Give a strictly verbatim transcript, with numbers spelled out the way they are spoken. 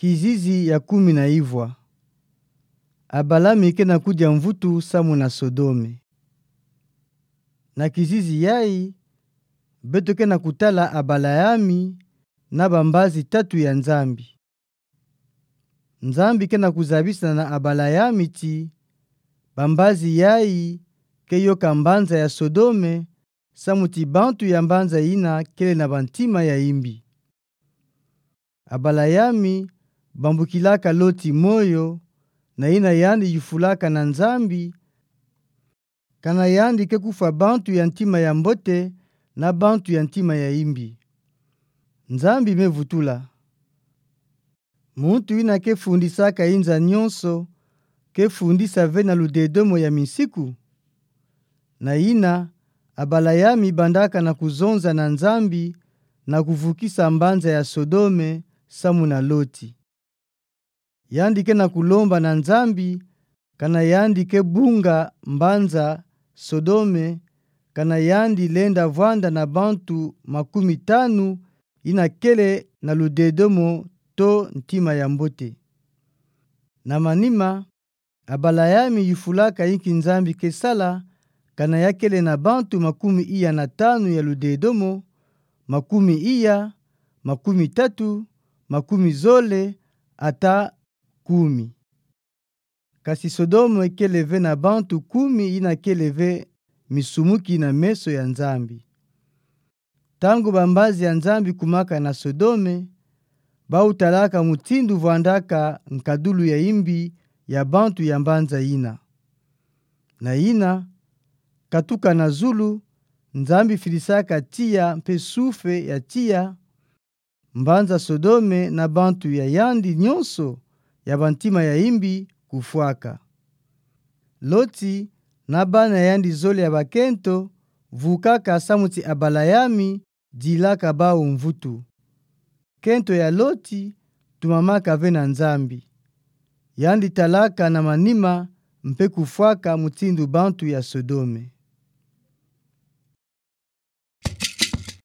Kizizi ya kumi na ivwa. Abalayami kena kudia mvutu samu na Sodome. Na kizizi yayi, beto kena kutala Abalayami na bambazi tatu ya Nzambi. Nzambi kena kuzabisa na Abalayami ti, bambazi yayi ke yoka mbanza ya Sodome, samu ti bantu ya mbanza yina kele na bantima ya imbi. Abalayami bambukilaka Loti moyo, na yina yandi yufulaka na Nzambi, kana yandi ke kufwa bantu ya ntima ya mbote na bantu ya ntima ya imbi. Nzambi me vutula: Muntu yina ke fundisaka inza nyonso, ke fundisa ve na ludedomo ya minsiku? Na yina, Abalayami bandaka na kuzonza na Nzambi, na kuvukisa mbanza ya Sodome samu na Loti. Yandi kena kulomba na Nzambi, kana yandi ke bunga mbanza Sodome, kana yandi lenda vwanda na bantu makumi tanu yina kele na ludedomo to ntima ya mbote. Na manima, Abalayami yufulaka inki Nzambi ke sala, kana ya kele na bantu makumi iya na tanu ya ludedomo, makumi iya, makumi tatu, makumi zole, ata kumi. Kasi Sodome kele ve na bantu kumi yina kele ve misumuki na meso ya Nzambi. Ntangu bambazi ya Nzambi kumaka na Sodome, bau talaka mutindu vwandaka nkadulu ya imbi ya bantu ya mbanza yina. Na yina, katuka na zulu, Nzambi fidisaka tiya mpe sufe ya tiya, mbanza Sodome na bantu ya yandi nyonso ya bantima ya imbi kufwaka. Loti na bana ya yandi zole ya bakento vukaka samu ti Abalayami dilaka bau mvutu. Kento ya Loti tumamaka ve na Nzambi. Yandi talaka na manima mpe kufwaka mutindu bantu ya Sodome.